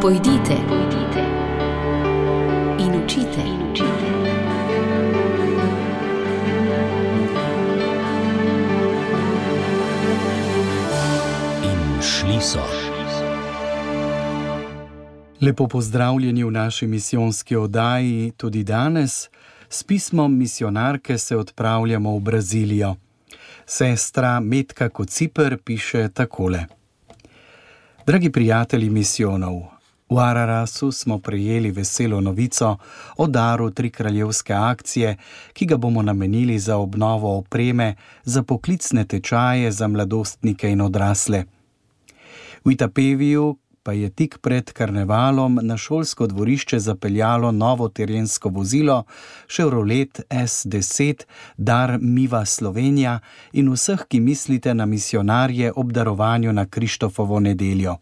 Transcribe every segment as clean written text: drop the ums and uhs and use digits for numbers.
Pojdite in učite. In šli so. Lepo pozdravljeni v naši misijonski oddaji tudi danes. S pismom misionarke se odpravljamo v Brazilijo. Sestra Metka Kociper piše takole. Dragi prijatelji misijonov, v Ararasu smo prejeli veselo novico o daru Trikraljevske akcije, ki ga bomo namenili za obnovo opreme za poklicne tečaje za mladostnike in odrasle. V Itapeviju pa je tik pred karnevalom na šolsko dvorišče zapeljalo novo terensko vozilo Chevrolet S10 Dar Miva Slovenija in vseh, ki mislite na misionarje ob darovanju na Krištofovo nedeljo.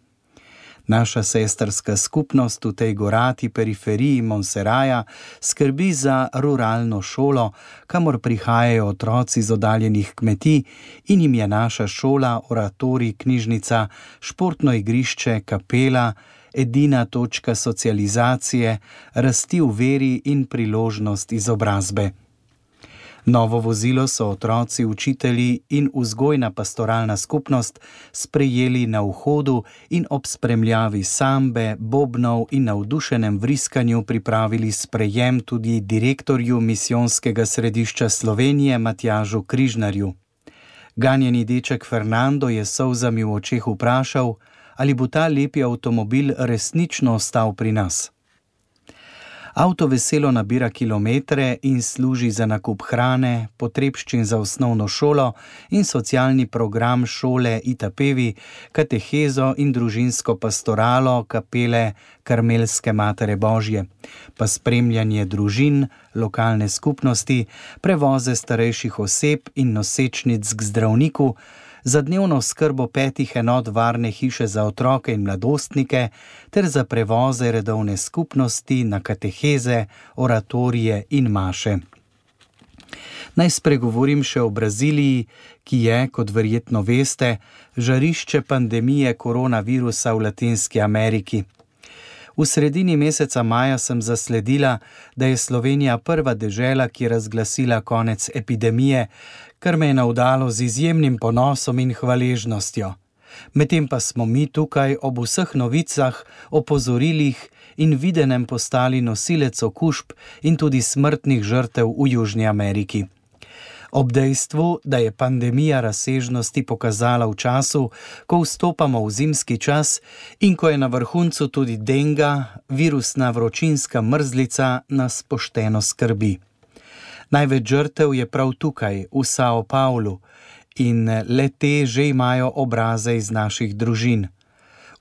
Naša sestrska skupnost v tej gorati periferiji Monseraja skrbi za ruralno šolo, kamor prihajajo otroci z oddaljenih kmetij in jim je naša šola, oratorij, knjižnica, športno igrišče, kapela, edina točka socializacije, rasti v veri in priložnost izobrazbe. Novo vozilo so otroci, učitelji in vzgojna pastoralna skupnost sprejeli na vhodu in ob spremljavi sambe, bobnov in navdušenem vriskanju pripravili sprejem tudi direktorju misijonskega središča Slovenije Matjažu Križnarju. Ganjeni deček Fernando je s solzami v očeh vprašal, ali bo ta lepi avtomobil resnično ostal pri nas. Avto veselo nabira kilometre in služi za nakup hrane, potrebščin za osnovno šolo in socialni program šole Itapevi, katehezo in družinsko pastoralo kapele Karmelske Matere Božje, pa spremljanje družin, lokalne skupnosti, prevoze starejših oseb in nosečnic k zdravniku, za dnevno skrbo 5 enot varne hiše za otroke in mladostnike ter za prevoze redovne skupnosti na kateheze, oratorije in maše. Naj spregovorim še o Braziliji, ki je, kot verjetno veste, žarišče pandemije koronavirusa v Latinski Ameriki. V sredini meseca maja sem zasledila, da je Slovenija prva dežela, ki je razglasila konec epidemije, kar me je navdalo z izjemnim ponosom in hvaležnostjo. Medtem pa smo mi tukaj ob vseh novicah, opozorilih in videnem postali nosilec okužb in tudi smrtnih žrtev v Južni Ameriki. Ob dejstvu, da je pandemija razsežnosti pokazala v času, ko vstopamo v zimski čas in ko je na vrhuncu tudi denga, virusna vročinska mrzlica, nas pošteno skrbi. Največ žrtev je prav tukaj, v Sao Paulu, in le te že imajo obraze iz naših družin.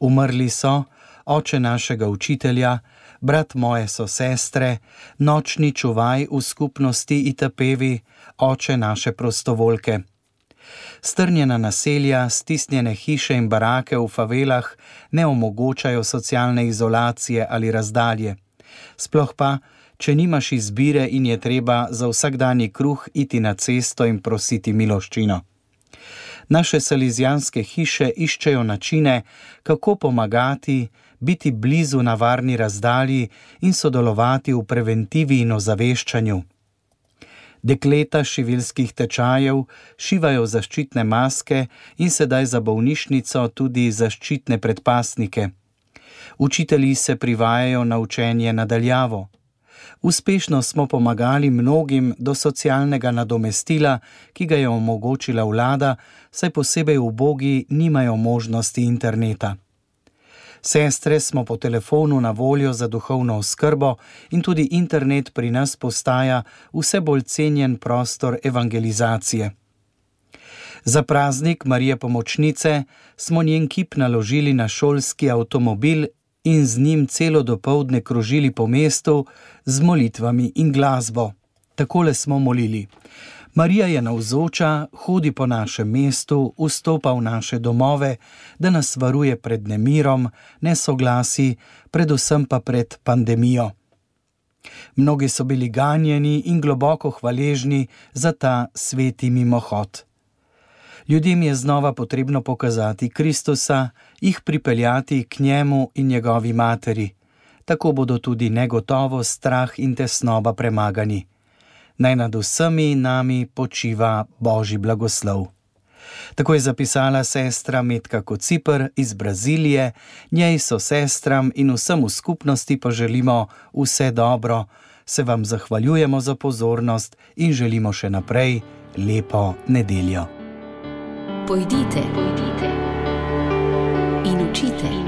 Umrli so oče našega učitelja, brat moje sosestre, nočni čuvaj v skupnosti Itapevi, oče naše prostovoljke. Strnjena naselja, stisnjene hiše in barake v favelah ne omogočajo socialne izolacije ali razdalje. Sploh pa, če nimaš izbire in je treba za vsakdanji kruh iti na cesto in prositi miloščino. Naše salizijanske hiše iščejo načine, kako pomagati, biti blizu na varni razdalji in sodelovati v preventivi in ozaveščanju. Dekleta šivilskih tečajev šivajo zaščitne maske in sedaj za bolnišnico tudi zaščitne predpasnike. Učitelji se privajajo na učenje na daljavo. Uspešno smo pomagali mnogim do socialnega nadomestila, ki ga je omogočila vlada, saj posebej ubogi nimajo možnosti interneta. Sestre smo po telefonu na voljo za duhovno oskrbo in tudi internet pri nas postaja vse bolj cenjen prostor evangelizacije. Za praznik Marije Pomočnice smo njen kip naložili na šolski avtomobil in z njim celo dopoldne krožili po mestu z molitvami in glasbo. Takole smo molili. Marija je navzoča, hodi po našem mestu, vstopa v naše domove, da nas varuje pred nemirom, nesoglasi, predvsem pa pred pandemijo. Mnogi so bili ganjeni in globoko hvaležni za ta sveti mimohod. Ljudem je znova potrebno pokazati Kristusa, jih pripeljati k njemu in njegovi materi. Tako bodo tudi negotovost, strah in tesnoba premagani. Naj nad vsemi nami počiva Božji blagoslov. Tako je zapisala sestra Metka Kociper iz Brazilije. Njej so sestram in vsem v skupnosti poželimo vse dobro. Se vam zahvaljujemo za pozornost in želimo še naprej lepo nedeljo. Pojdite in učite.